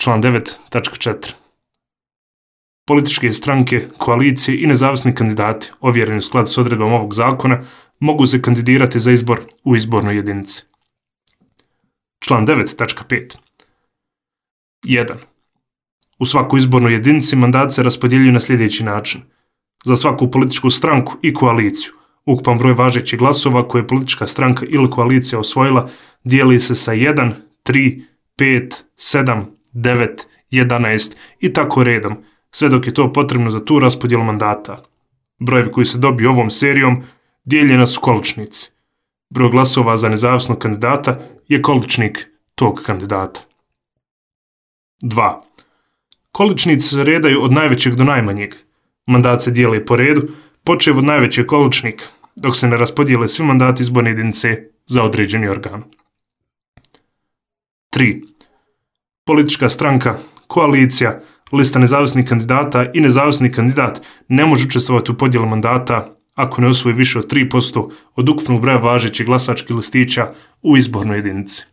Član 9.4. Političke stranke, koalicije i nezavisni kandidati, ovjereni u skladu s odredbama ovog zakona, mogu se kandidirati za izbor u izbornoj jedinici. Član 9.5. 1. U svakoj izbornoj jedinici mandat se raspodjeljuju na sljedeći način. Za svaku političku stranku i koaliciju, ukupan broj važećih glasova koje je politička stranka ili koalicija osvojila dijeli se sa 1, 3, 5, 7, 9, 11 i tako redom, sve dok je to potrebno za tu raspodjelu mandata. Brojevi koji se dobiju ovom serijom dijeljeni su količnici. Broj glasova za nezavisnog kandidata je količnik tog kandidata. 2. Količnici se redaju od najvećeg do najmanjeg. Mandat se dijeli po redu, počev od najvećeg količnika, dok se ne raspodijele svi mandati izborne jedinice za određeni organ. 3. Politička stranka, koalicija, lista nezavisnih kandidata i nezavisni kandidat ne može učestvovati u podjelu mandata ako ne osvoji više od 3% od ukupnog broja važećih glasačkih listića u izbornoj jedinici.